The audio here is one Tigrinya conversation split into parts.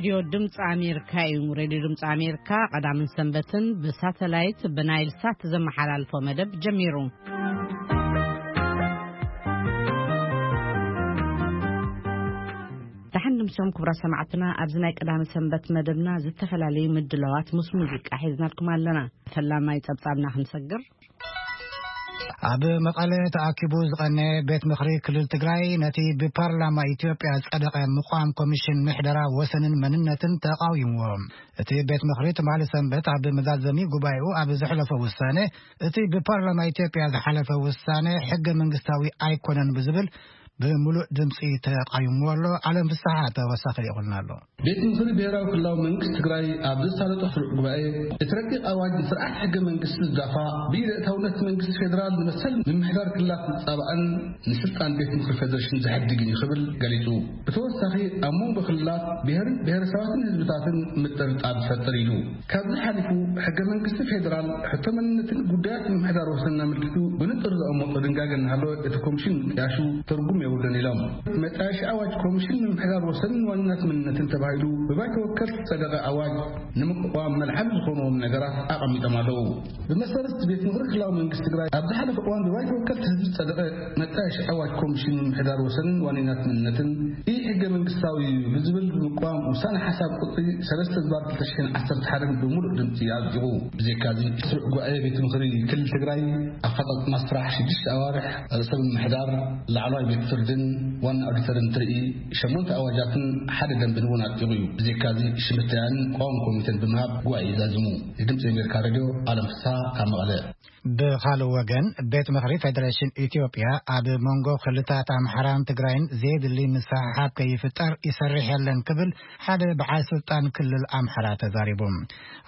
ሬድዮ ድምፂ ኣሜሪካ እዩ። ሬድዮ ድምፂ ኣሜሪካ ቀዳምን ሰንበትን ብሳተላይት ብናይል ሳት ዘመሓላልፎ መደብ ጀሚሩ። ደሓን ድምሶም ክቡራት ሰማዕትና፣ ኣብዚ ናይ ቀዳሚ ሰንበት መደብና ዝተፈላለዩ ምድላዋት ምስ ሙዚቃ ሒዝናልኩም ኣለና። ፈላማይ ጸብጻብና ክንሰግር። ኣብ መቐለ ተኣኪቡ ዝቐነ ቤት ምኽሪ ክልል ትግራይ ነቲ ብፓርላማ ኢትዮጵያ ዝጸደቐ ምቋም ኮሚሽን ምሕደራ ወሰንን መንነትን ተቓዊምዎ። እቲ ቤት ምኽሪ ትማሊ ሰንበት ኣብ መዛዘሚ ጉባኤኡ ኣብ ዘሕለፎ ውሳነ፣ እቲ ብፓርላማ ኢትዮጵያ ዝሓለፈ ውሳነ ሕገ መንግስታዊ ኣይኮነን ብዝብል ብምሉእ ድምፂ ተቓዊምዎ ኣሎ። ዓለም ፍስሓ ተወሳኺ ይቕልና ኣሎ። ቤት ምኽሪ ብሔራዊ ክልላዊ መንግስቲ ትግራይ ኣብ ዘሳለጦ ስሩዕ ጉባኤ፣ እቲ ረቂቕ ኣዋጅ ንስርዓት ሕገ መንግስቲ ዝዳፋ፣ ብኢድ ኣእታውነት መንግስቲ ፌዴራል ንመሰል ምምሕዳር ክልላት ዝጻባእን ንስልጣን ቤት ምኽሪ ፌዴሬሽን ዘሕድግን እዩ ክብል ገሊጹ። ብተወሳኺ፣ ኣብ መንጎ ክልላት፣ ብሄርን ብሄረሰባትን ህዝብታትን ምጥርጣር ዝፈጥር ኢሉ። ካብዚ ሓሊፉ፣ ሕገ መንግስቲ ፌዴራል ሕቶ መንነትን ጉዳያት ምምሕዳር ወሰንን ኣመልኪቱ ብንጹር ዘቐመጦ ድንጋገ እናሃለወ፣ እቲ ኮሚሽን ምጥያሹ ትርጉም የብሉን ኢሎም። መጣየሺ ኣዋጅ ኮሚሽን ምምሕዳር ወሰንን ዋንነት መንነትን ተባሂሉ ብባይቶ ወከልቲ ዝጸደቐ ኣዋጅ ንምቅዋም መልዓሊ ዝኾንዎም ነገራት ኣቐሚጦም ኣለዉ። ብመሰረት ቤት ምኽሪ ክልላዊ መንግስቲ ትግራይ ኣብ ዝሓለፈ እዋን ብባይቶ ወከልቲ ህዝቢ ዝጸደቐ መጣየሺ ኣዋጅ ኮሚሽን ምምሕዳር ወሰንን ዋንነት መንነትን ኢ ሕገ መንግስታዊ እዩ ብዝብል ብምቅዋም ውሳነ ሓሳብ ቁጽሪ ሰለስተ ዝባር ክልተ ሽሕን ዓሰርተ ሓደን ብምሉእ ድምፂ ኣጽዲቑ። ብዘይካዚ፣ ስሩዕ ጉባኤ ቤት ምኽሪ ክልል ትግራይ ኣፈጻጽማ ስራሕ ሽዱሽተ ኣዋርሕ ርእሰ ምምሕዳር፣ ላዕለዋይ ቤት ፍርድን ዋና ኦዲተርን ትርኢ ሸሞንተ ኣዋጃትን ሓደ ደንብን እውን ኣጽዲቑ እዩ። ብዘይካዚ፣ ሽምታያን ቋሚ ኮሚቴን ብምሃብ ጉባኤ ይዛዝሙ። ንድምፂ ኣሜሪካ ሬድዮ ኣለም ፍስሓ ካብ መቐለ። ብኻልእ ወገን፣ ቤት ምኽሪ ፌደሬሽን ኢትዮጵያ ኣብ መንጎ ክልታት ኣምሓራን ትግራይን ዘየድሊ ምስሕሓብ ከይፍጠር ይሰርሕ የለን ክብል ሓደ በዓል ስልጣን ክልል ኣምሓራ ተዛሪቡ።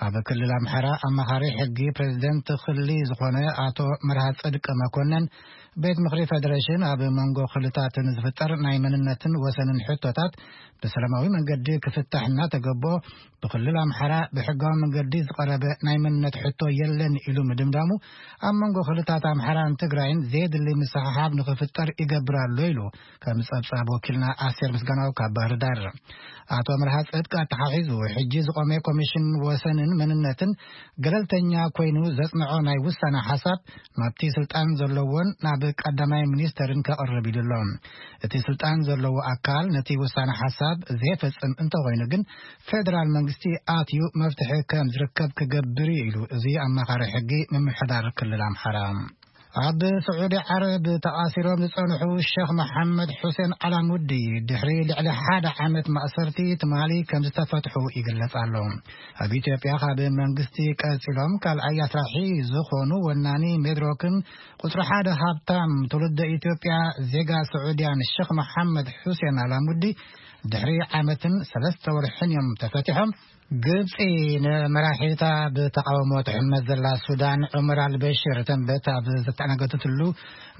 ኣብ ክልል ኣምሓራ ኣማኻሪ ሕጊ ፕሬዝደንት ክሊ ዝኾነ ኣቶ መርሃ ጽድቅ መኮነን፣ ቤት ምኽሪ ፌደሬሽን ኣብ መንጎ ክልታት ንዝፍጠር ናይ መንነትን ወሰንን ሕቶታት ብሰላማዊ መንገዲ ክፍታሕ እናተገቦ፣ ብክልል ኣምሓራ ብሕጋዊ መንገዲ ዝቐረበ ናይ መንነት ሕቶ የለን ኢሉ ምድምዳሙ፣ ኣብ መንጎ ክልታት ኣምሓራን ትግራይን ዘየድሊ ምስሕሓብ ንኽፍጠር ይገብር ኣሎ ኢሉ፣ ከም ጸብጻብ ወኪልና ኣስቴር ምስጋናው ካብ ባህር ዳር። ኣቶ መርሃ ጽድቅ ኣተሓሒዙ፣ ሕጂ ዝቖመ ኮሚሽን ወሰንን መንነትን ገለልተኛ ኮይኑ ዘጽንዖ ናይ ውሳነ ሓሳብ ናብቲ ስልጣን ዘለዎን ናብ ቀዳማይ ሚኒስተርን ከቕርብ ኢሉ ኣሎ። እቲ ስልጣን ዘለዎ ኣካል ነቲ ውሳነ ሓሳብ ዘይፈጽም እንተኾይኑ ግን፣ ፌደራል መንግስቲ ኣትዩ መፍትሒ ከም ዝርከብ ክገብር እዩ ኢሉ፣ እዚ ኣማኻሪ ሕጊ ምምሕዳር ክልል ኣምሓራ። ኣብ ስዑዲ ዓረብ ተኣሲሮም ዝጸንሑ ሸኽ መሓመድ ሑሴን ኣላሙዲ፣ ድሕሪ ልዕሊ ሓደ ዓመት ማእሰርቲ ትማሊ ከም ዝተፈትሑ ይግለጽ ኣሎ። ኣብ ኢትዮጵያ ካብ መንግስቲ ቀጺሎም ካልኣይ ኣስራሒ ዝኾኑ ወናኒ ሜድሮክን ቁጽሪ ሓደ ሃብታም ትውልደ ኢትዮጵያ ዜጋ ስዑድያን ሸኽ መሓመድ ሑሴን ኣላሙዲ፣ ድሕሪ ዓመትን ሰለስተ ወርሕን እዮም ተፈቲሖም። ግብጺ ንመራሒታ ብተቓውሞ ትሕመስ ዘላ ሱዳን ዑመር ኣልበሽር ተንበት ኣብ ዘተኣናገደትሉ፣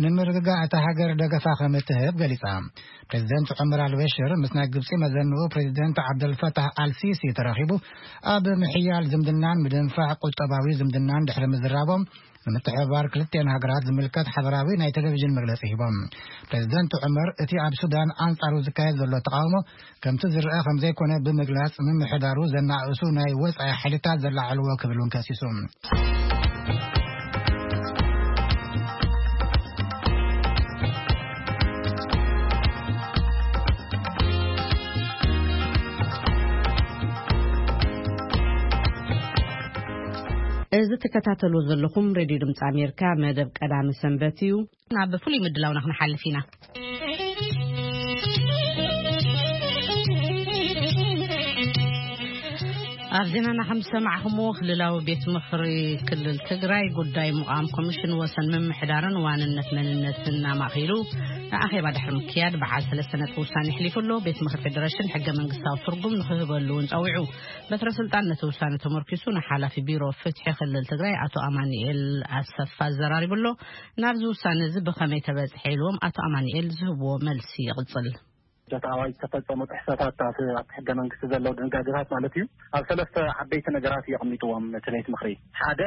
ንምርግጋእ እታ ሃገር ደገፋ ከም እትህብ ገሊጻ። ፕሬዚደንት ዑመር ኣልበሽር ምስ ናይ ግብጺ መዘንኡ ፕሬዚደንት ዓብደልፈታህ ኣልሲሲ ተራኺቡ፣ ኣብ ምሕያል ዝምድናን ምድንፋዕ ቁጠባዊ ዝምድናን ድሕሪ ምዝራቦም፣ ንምትሕብባር ክልቲኤን ሃገራት ዝምልከት ሓበራዊ ናይ ቴሌቪዥን መግለጺ ሂቦም። ፕሬዚደንት ዑመር፣ እቲ ኣብ ሱዳን ኣንጻሩ ዝካየድ ዘሎ ተቓውሞ ከምቲ ዝረአ ከም ዘይኮነ ብምግላጽ፣ ምምሕዳሩ ዘናእሱ ናይ ወጻኢ ሓይልታት ዘላዓልዎ ክብል እውን ከሲሱ። እዚ ትከታተሉ ዘለኹም ሬድዮ ድምፂ ኣሜሪካ መደብ ቀዳሚ ሰንበት እዩ። ናብ ፍሉይ ምድላውና ክንሓልፍ ኢና። ኣብ ዜናና ከም ዝሰማዕኹምዎ፣ ክልላዊ ቤት ምኽሪ ክልል ትግራይ ጉዳይ ምቋም ኮሚሽን ወሰን ምምሕዳርን ዋንነት መንነትን ኣማእኪሉ ንኣኼባ ድሕሪ ምክያድ በዓል ሰለስተ ነጥቢ ውሳኔ ኣሕሊፉ ኣሎ። ቤት ምኽሪ ፌደሬሽን ሕገ መንግስታዊ ትርጉም ንክህበሉ እውን ጸዊዑ። በትረ ስልጣን ነቲ ውሳነ ተመርኪሱ ንሓላፊ ቢሮ ፍትሒ ክልል ትግራይ ኣቶ ኣማኑኤል ኣሰፋ ኣዘራሪቡ ኣሎ። ናብዚ ውሳነ እዚ ብኸመይ ተበጽሐ ኢልዎም ኣቶ ኣማኑኤል ዝህብዎ መልሲ ይቕጽል። በቲ ኣዋጅ ዝተፈጸሙ ጥሕሰታት፣ ኣብቲ፣ ኣብቲ ሕገ መንግስቲ ዘለዉ ድንጋጌታት ማለት እዩ፣ ኣብ ሰለስተ ዓበይቲ ነገራት እዩ ኣቐሚጥዎም እቲ ቤት ምኽሪ። ሓደ፣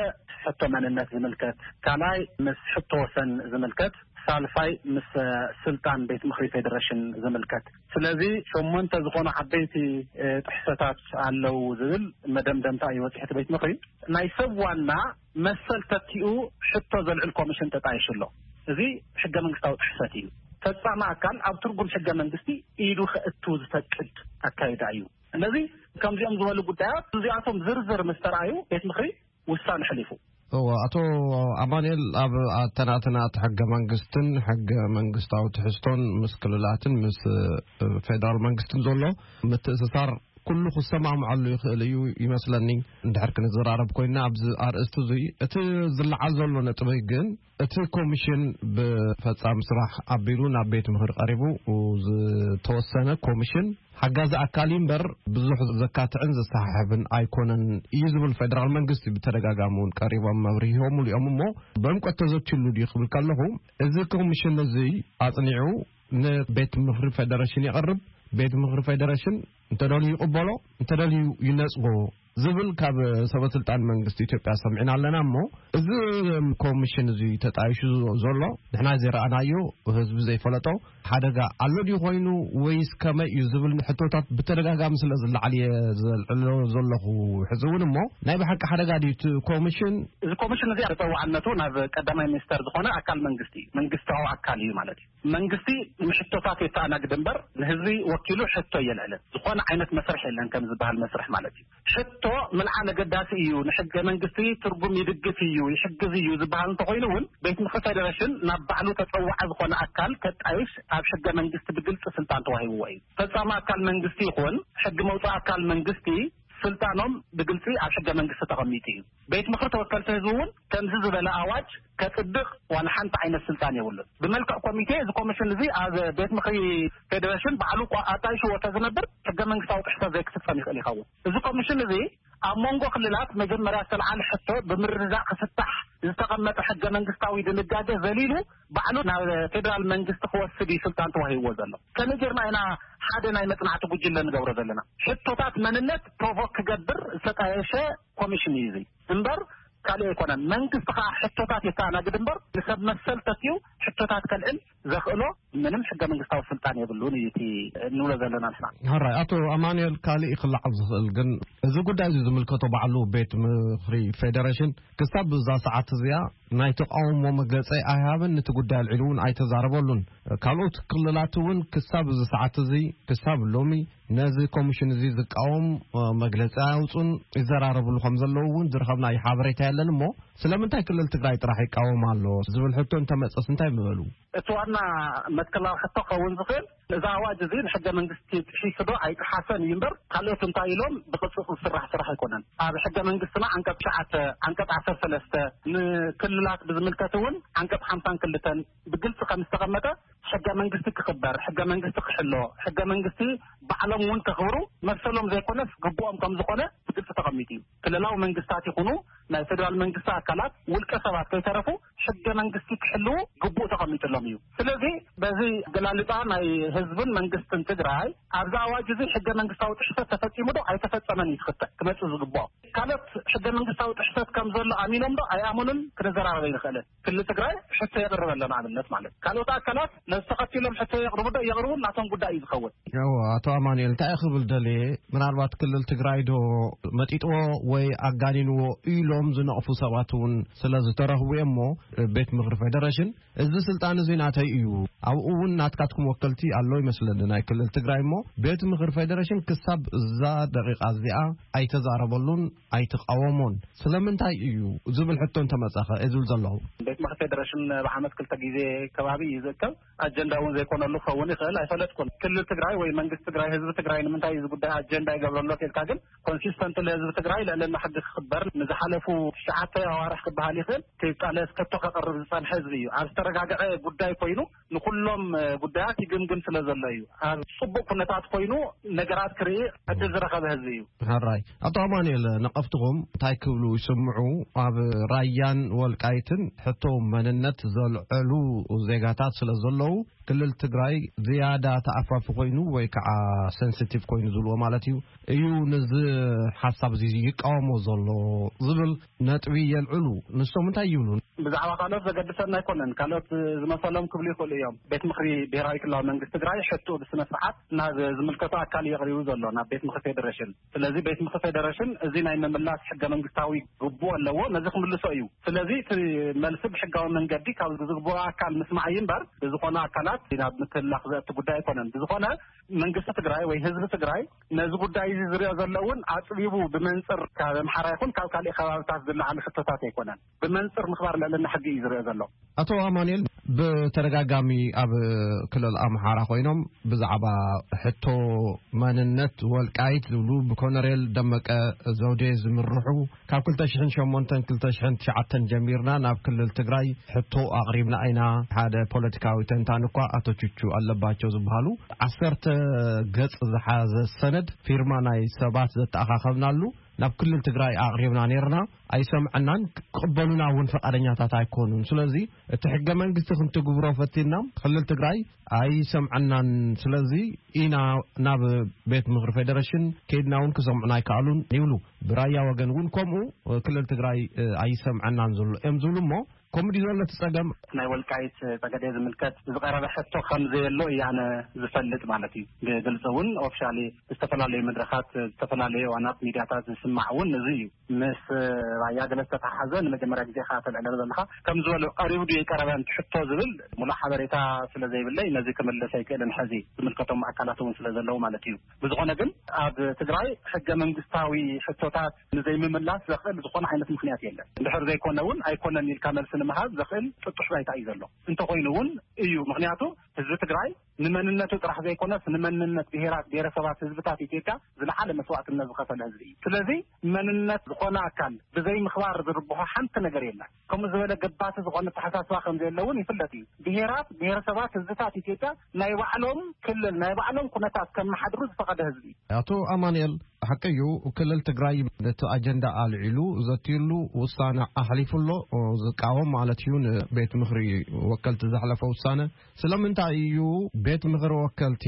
ሕቶ መንነት ዝምልከት፣ ካልኣይ፣ ምስ ሕቶ ወሰን ዝምልከት፣ ሳልሳይ፣ ምስ፣ እ፣ ስልጣን ቤት ምኽሪ ፌዴሬሽን ዝምልከት። ስለዚ ሸሞንተ ዝኾኑ ዓበይቲ፣ እ፣ ጥሕሰታት ኣለዉ ዝብል መደምደምታ እዩ ወፂሑ እቲ ቤት ምኽሪ። ናይ ሰብ ዋና መሰል ተኪኡ ሕቶ ዘልዕል ኮሚሽን ተጣይሹ ኣሎ። እዚ ሕገ መንግስታዊ ጥሕሰት እዩ። ፈጻሚ ኣካል ኣብ ትርጉም ሕገ መንግስቲ ኢዱ ከእቱ ዝፈቅድ ኣካይዳ እዩ። ስለዚ ከምዚኦም ዝበሉ ጉዳያት እዚኣቶም ዝርዝር ምስ ተረኣዩ ቤት ምኽሪ ውሳነ ሕሊፉ። እዎ፣ ኣቶ ኣማኑኤል፣ ኣብ ኣተናትና እቲ ሕገ መንግስትን ሕገ መንግስታዊ ትሕዝቶን ምስ ክልላትን ምስ፣ እ፣ ፌደራል መንግስትን ዘሎ ምትእስሳር ኩሉ ክሰማምዓሉ ይኽእል እዩ ይመስለኒ። እንድሕር ክንዘራረብ ኮይና ኣብዚ ኣርእስቲ እዙይ፣ እቲ ዝለዓል ዘሎ ነጥቢ ግን እቲ ኮሚሽን ብፈጻሚ ስራሕ ኣቢሉ ናብ ቤት ምኽሪ ቀሪቡ ዝተወሰነ ኮሚሽን ሓጋዚ ኣካል እዩ እምበር ብዙሕ ዘካትዕን ዘሰሓሕብን ኣይኮነን እዩ ዝብል ፌደራል መንግስቲ ብተደጋጋሚ እውን ቀሪቦም መብርሂ ሂቦምሉ እዮም። እሞ ብዕምቆት ተዘትዩሉ ድዩ ክብል ከለኹ፣ እዚ ኮሚሽን እዚ ኣጽኒዑ ንቤት ምኽሪ ፌደሬሽን የቕርብ፣ ቤት ምኽሪ ፌደሬሽን እንተደልዩ ይቕበሎ፣ እንተደልዩ ይነጽጎ ዝብል ካብ ሰበ ስልጣን መንግስቲ ኢትዮጵያ ሰሚዕና ኣለና። እሞ እዚ ኮሚሽን እዚ ተጣይሹ ዘሎ ንሕና ዘይረኣናዮ፣ ህዝቢ ዘይፈለጦ ሓደጋ ኣሎ ድዩ ኮይኑ ወይስ ከመይ እዩ ዝብል ሕቶታት ብተደጋጋሚ ስለ ዝለዓል እየ ዘልዕሎ ዘለኹ። ሕዚ እውን እሞ ናይ ብሓቂ ሓደጋ ድዩ እቲ ኮሚሽን? እዚ ኮሚሽን እዚ ተፀዋዕነቱ ናብ ቀዳማይ ሚኒስተር ዝኾነ ኣካል መንግስቲ እዩ፣ መንግስታዊ ኣካል እዩ ማለት እዩ። መንግስቲ ንሕቶታት የተኣናግድ እምበር ንህዝቢ ወኪሉ ሕቶ የልዕልን። ዝኾነ ዓይነት መስርሕ የለን ከም ዝበሃል መስርሕ ማለት እዩ። ሕቶ ምልዓል ኣገዳሲ እዩ፣ ንሕገ መንግስቲ ትርጉም ይድግፍ እዩ፣ ይሕግዝ እዩ ዝበሃል እንተኾይኑ እውን ቤት ምኽሪ ፌደሬሽን ናብ ባዕሉ ተፀዋዒ ዝኾነ ኣካል ከጣይሽ ኣብ ሕገ መንግስቲ ብግልፂ ስልጣን ተዋሂብዎ እዩ። ፈፃሚ ኣካል መንግስቲ ይኹን ሕጊ መውፃኢ ኣካል መንግስቲ ስልጣኖም ብግልፂ ኣብ ሕገ መንግስቲ ተቐሚጡ እዩ። ቤት ምኽሪ ተወከልቲ ህዝቢ እውን ከምዚ ዝበለ ኣዋጅ ከፅድቕ ዋላ ሓንቲ ዓይነት ስልጣን የብሉን። ብመልክዕ ኮሚቴ እዚ ኮሚሽን እዚ ኣብ ቤት ምኽሪ ፌዴሬሽን ባዕሉ እኳ ኣጣይሽዎ ተዝነብር ሕገ መንግስታዊ ጥሕሰት ዘይክፍፀም ይኽእል ይኸውን። እዚ ኮሚሽን እዚ ኣብ መንጎ ክልላት መጀመርያ ዝተልዓለ ሕቶ ብምርድዳእ ክፍታሕ ዝተቐመጠ ሕገ መንግስታዊ ድንጋገ ዘሊሉ ባዕሉ ናብ ፌዴራል መንግስቲ ክወስድ እዩ ስልጣን ተዋሂብዎ ዘሎ። ከመይ ጌርና ኢና ሓደ ናይ መጽናዕቲ ጉጅለ ንገብሮ ዘለና? ሕቶታት መንነት ፕሮቮክ ክገብር ዝተጣየሸ ኮሚሽን እዩ እዚ እምበር ካልእ ኣይኮነን። መንግስቲ ከዓ ሕቶታት የተኣናግድ እምበር ንሰብ መሰል ተኪኡ ሕቶታት ከልዕል ዘኽእሎ ምንም ሕገ መንግስታዊ ስልጣን የብሉን እዩ እቲ እንብሎ ዘለና ንሕና። ሕራይ፣ ኣቶ ኣማኑኤል፣ ካልእ ክለዓል ዝኽእል ግን እዚ ጉዳይ እዚ ዝምልከቶ ባዕሉ ቤት ምኽሪ ፌዴሬሽን ክሳብ እዛ ሰዓት እዚኣ ናይ ተቃውሞ መግለጺ ኣይሃበን፣ ነቲ ጉዳይ ኣልዒሉ እውን ኣይተዛረበሉን። ካልኦት ክልላት እውን ክሳብ እዚ ሰዓት እዚ፣ ክሳብ ሎሚ ነዚ ኮሚሽን እዚ ዝቃወም፣ እ፣ መግለጺ ኣያውጹን ይዘራረብሉ ከም ዘለዉ እውን ዝረኸብናዮ ሓበሬታ የለን። እሞ ስለምንታይ ክልል ትግራይ ጥራሕ ይቃወም ኣሎ ዝብል ሕቶ እንተመጸስ እንታይ ምበሉ? እቲ ዋና መትከላዊ ሕቶ ክኸውን ዝኽእል፣ እዚ ኣዋጅ እዚ ንሕገ መንግስቲ ጥሒሱ ዶ ኣይጠሓሰን እዩ እምበር፣ ካልኦት እንታይ ኢሎም ብቕጽጽ ዝስራሕ ስራሕ ኣይኮነን። ኣብ ሕገ መንግስትና ዓንቀጽ ትሽዓተ፣ ዓንቀጽ ዓሰርተ ሰለስተ፣ ንክልላት ብዝምልከት እውን ዓንቀጽ ሓምሳን ክልተን ብግልጺ ከም ዝተቐመጠ፣ ሕገ መንግስቲ ክኽበር፣ ሕገ መንግስቲ ክሕሎ፣ ሕገ መንግስቲ ባዕሎም እውን ከኽብሩ መሰሎም ዘይኮነስ ግቡኦም ከም ዝኾነ ብግልጺ ተቐሚጡ እዩ። ክልላዊ መንግስታት ይኹኑ ናይ ፌዴራል መንግስቲ ኣካላት፣ ውልቀ ሰባት ከይተረፉ ሕገ መንግስቲ ክሕልዉ ግቡእ ተቐሚጥሎም እዩ። ስለዚ በዚ ኣገላልጻ ናይ ህዝብን መንግስትን ትግራይ ኣብዚ ኣዋጅ እዚ ሕገ መንግስታዊ ጥሕሰት ተፈጺሙ ዶ ኣይተፈጸመን እዩ ክኽተ-፣ ክመጽእ ዝግብኦ። ካልኦት ሕገ መንግስታዊ ጥሕሰት ከም ዘሎ ኣሚኖም ዶ ኣይኣመኑን ክንዘራረብ ኣይንኽእልን። ክልል ትግራይ ሕቶ የቕርብ ኣሎ ንኣብነት ማለት። ካልኦት ኣካላት ነዚ ተኸቲሎም ሕቶ የቕርቡ ዶ የቕርቡ ናቶም ጉዳይ እዩ ዝኸውን። ያው ኣቶ ኣማኑኤል እንታይ ክብል ደልየ፣ ምናልባት ክልል ትግራይ ዶ መጢጥዎ ወይ ኣጋኒንዎ ኢሎም ዝነቕፉ ሰባት እውን ስለ ዝተረኽቡ እዮም። እሞ ቤት ምኽሪ ፌዴሬሽን እዚ ስልጣን እዚ ናተይ እዩ፣ ኣብኡ እውን ናትካትኩም ወከልቲ ኣሎ ይመስለኒ ናይ ክልል ትግራይ፣ እሞ ቤት ምኽሪ ፌዴሬሽን ክሳብ እዛ ደቂቃ እዚኣ ኣይተዛረበሉን ኣይተቃወሞን። ስለምንታይ እዩ ዝብል ሕቶ እንተመጻኸ እየ ዝብል ዘለኹ። ቤት ምኽሪ ፌዴሬሽን ብዓመት ክልተ ግዜ ከባቢ እዩ ዝእከብ። ኣጀንዳ እውን ዘይኮነሉ ክኸውን ይኽእል፣ ኣይፈለጥኩን። ክልል ትግራይ ወይ መንግስቲ ትግራይ፣ ህዝቢ ትግራይ ንምንታይ እዚ ጉዳይ ኣጀንዳ ይገብረሎ ተልካ ግን፣ ኮንሲስተንት ለህዝቢ ትግራይ ልዕልና ሕጊ ክኽበር ንዝሓለፉ ትሽዓተ ኣዋርሕ ክበሃል ይኽእል ከይቃለስ፣ ከቶ ክቐርብ ዝጸንሐ ህዝቢ እዩ። ኣብ ዝተረጋገዐ ጉዳይ ኮይኑ ንኹሎም ጉዳያት ይግምግም ስለ ዘሎ እዩ። ኣብ ጽቡቕ ኩነታት ኮይኑ ነገራት ክርኢ ዕድል ዝረኸበ ህዝቢ እዩ። ሕራይ። ኣቶ ኣማኑኤል፣ ነቐፍትኹም እንታይ ክብሉ ይስምዑ? ኣብ ራያን ወልቃይትን ሕቶ መንነት ዘልዐሉ ዜጋታት ስለ ዘለዉ፣ ክልል ትግራይ ዝያዳ ተኣፋፊ ኮይኑ ወይ ከዓ ሰንሲቲቭ ኮይኑ ዝብልዎ ማለት እዩ፣ እዩ ነዚ ሓሳብ እዚ ይቃወሞ ዘሎ ዝብል ነጥቢ የልዕሉ። ንሶም እንታይ ይብሉ? ብዛዕባ ካልኦት ዘገድሰና ኣይኮነን። ካልኦት ዝመሰሎም ክብሉ ይኽእሉ እዮም። ቤት ምኽሪ ብሔራዊ ክልላዊ መንግስቲ ትግራይ ሕቶ ብስነ ስርዓት ናብ ዝምልከቶ ኣካል እዩ ኣቕሪቡ ዘሎ፣ ናብ ቤት ምኽሪ ፌዴሬሽን። ስለዚ ቤት ምኽሪ ፌዴሬሽን እዚ ናይ ምምላስ ሕገ መንግስታዊ ግቡእ ኣለዎ፣ ነዚ ክምልሶ እዩ። ስለዚ እቲ መልሲ ብሕጋዊ መንገዲ ካብ ዝግብኦ ኣካል ምስማዕ እዩ እምበር፣ ብዝኾነ ኣካላት ናብ ምትላኽ ዘእቲ ጉዳይ ኣይኮነን። ብዝኾነ መንግስቲ ትግራይ ወይ ህዝቢ ትግራይ ነዚ ጉዳይ እዚ ዝሪኦ ዘሎ እውን ኣጽቢቡ ብመንጽር ካብ ኣምሓራ ይኹን ካብ ካልእ ከባብታት ዝለዓሉ ሕቶታት ኣይኮነን። ብመንጽር ምኽባር ልዕልና ሕጊ እዩ ዝሪኦ ዘሎ። ኣቶ ኣማኑኤል፣ ብተደጋጋሚ ኣብ ክልል ኣምሓራ ኮይኖም ብዛዕባ ሕቶ መንነት ወልቃይት ዝብሉ ብኮነሬል ደመቀ ዘውዴ ዝምርሑ፣ ካብ ክልተ ሽሕን ሸሞንተን ክልተ ሽሕን ትሽዓተን ጀሚርና ናብ ክልል ትግራይ ሕቶ ኣቕሪብና ኢና። ሓደ ፖለቲካዊ ተንታን እኳ ኣቶ ቹቹ ኣለባቸው ዝበሃሉ ዓሰርተ ገጽ ዝሓዘ ሰነድ ፊርማ ናይ ሰባት ዘተኣኻኸብናሉ ናብ ክልል ትግራይ ኣቕሪብና ነይርና። ኣይሰምዐናን፣ ክቕበሉና እውን ፈቃደኛታት ኣይኮኑን። ስለዚ እቲ ሕገ መንግስቲ ክንትግብሮ ፈቲና ክልል ትግራይ ኣይሰምዐናን። ስለዚ ኢና ናብ ቤት ምኽሪ ፌዴሬሽን ከይድና እውን ክሰምዑና ኣይከኣሉን ይብሉ። ብራያ ወገን እውን ከምኡ ክልል ትግራይ ኣይሰምዐናን ዘሎ እዮም ዝብሉ። እሞ ከምኡ ድዩ ዘሎ እቲ ጸገም? ናይ ወልቃይት ጸገዴ ዝምልከት ዝቐረበ ሕቶ ከም ዘየሎ እዩ ኣነ ዝፈልጥ ማለት እዩ። ብግልጺ እውን ኦፊሻሊ ዝተፈላለዩ መድረኻት፣ ዝተፈላለዩ ዋናት ሚድያታት ዝስማዕ እውን እዚ እዩ። ምስ ራያ ገለ ዝተተሓሓዘ ንመጀመርያ ግዜ ኢኻ ተልዕለሉ ዘለኻ። ከም ዝበሉ ቀሪቡ ድዩ ኣይቀረበን እቲ ሕቶ ዝብል ሙሉእ ሓበሬታ ስለ ዘይብለይ ነዚ ክምልስ ኣይክእልን። ሕዚ ዝምልከቶም ኣካላት እውን ስለ ዘለዉ ማለት እዩ። ብዝኾነ ግን ኣብ ትግራይ ሕገ መንግስታዊ ሕቶታት ንዘይምምላስ ዘኽእል ዝኾነ ዓይነት ምኽንያት የለን። እንድሕር ዘይኮነ እውን ኣይኮነን ኢልካ መልሲ ንምሃብ ዘኽእል ጥጡሕ ባይታ እዩ ዘሎ። እንተኾይኑ እውን እዩ። ምኽንያቱ ህዝቢ ትግራይ ንመንነቱ ጥራሕ ዘይኮነስ ንመንነት ብሄራት፣ ብሄረሰባት፣ ህዝብታት ኢትዮጵያ ዝለዓለ መስዋእትነት ዝኸፈለ ህዝቢ እዩ። ስለዚ መንነት ዝኾነ ኣካል ብዘይ ምኽባር ዝርብሖ ሓንቲ ነገር የለን። ከምኡ ዝበለ ገባቲ ዝኾነ ኣተሓሳስባ ከም ዘየለ እውን ይፍለጥ እዩ። ብሄራት፣ ብሄረሰባት፣ ህዝብታት ኢትዮጵያ ናይ ባዕሎም ክልል፣ ናይ ባዕሎም ኩነታት ከመሓድሩ ዝፈቐደ ህዝቢ እዩ። ኣቶ ኣማኑኤል፣ ሓቂ እዩ፣ ክልል ትግራይ ነቲ ኣጀንዳ ኣልዒሉ ዘትዩሉ ውሳነ ኣሕሊፉ ኣሎ፣ ዝቃወም ማለት እዩ ንቤት ምኽሪ ወከልቲ ዘሕለፈ ውሳነ። ስለምንታይ እዩ ቤት ምኽሪ ወከልቲ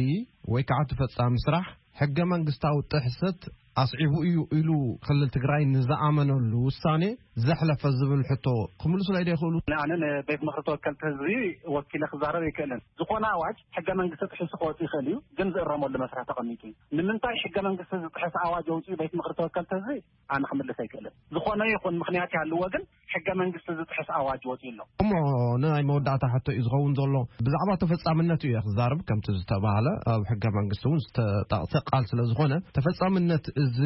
ወይ ከዓ እቲ ፈጻሚ ስራሕ ሕገ መንግስታዊ ጥሕሰት ኣስዒቡ እዩ ኢሉ ክልል ትግራይ ንዝኣመነሉ ውሳኔ ዘሕለፈ ዝብል ሕቶ ክምልሱለይ ዶ ይኽእሉ? ኣነ ንቤት ምኽሪ ተወከልቲ ህዝቢ ወኪለ ክዛረብ ኣይክእልን። ዝኾነ ኣዋጅ ሕገ መንግስቲ ጥሒሱ ክወፅእ ይኽእል እዩ፣ ግን ዝእረመሉ መስርሕ ተቐሚጡ እዩ። ንምንታይ ሕገ መንግስቲ ዝጥሕስ ኣዋጅ ኣውፅኡ ቤት ምኽሪ ተወከልቲ ህዝቢ? ኣነ ክምልስ ኣይክእልን። ዝኾነ ይኹን ምኽንያት ይሃልዎ፣ ግን ሕገ መንግስቲ ዝጥሕስ ኣዋጅ ወፂኡ ኣሎ። እሞ ንናይ መወዳእታ ሕቶ እዩ ዝኸውን ዘሎ። ብዛዕባ ተፈጻምነቱ እየ ክዛርብ። ከምቲ ዝተባህለ ኣብ ሕገ መንግስቲ እውን ዝተጠቕሰ ቃል ስለ ዝኾነ፣ ተፈጻምነት እዚ